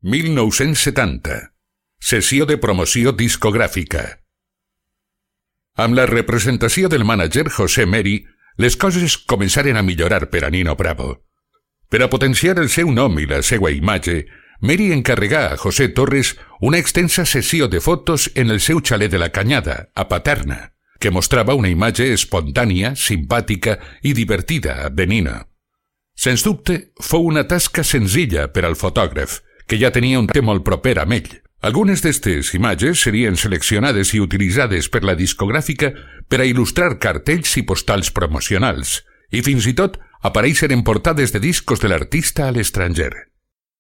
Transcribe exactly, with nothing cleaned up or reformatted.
mil nou-cents setanta. Sessió de promoció discogràfica. Amb la representació del mànager José Meri, les coses començaren a millorar per a Nino Bravo. Per a potenciar el seu nom i la seva imatge, Meri encarregà a José Torres una extensa sessió de fotos en el seu xalet de la Canyada, a Paterna, que mostrava una imatge espontània, simpàtica i divertida de Nino. Sens dubte, fou una tasca senzilla per al fotògraf, que ja tenia un temps molt proper amb ell. Algunes d'aquestes imatges serien seleccionades i utilitzades per la discogràfica per a il·lustrar cartells i postals promocionals, i fins i tot aparèixer en portades de discos de l'artista a l'estranger.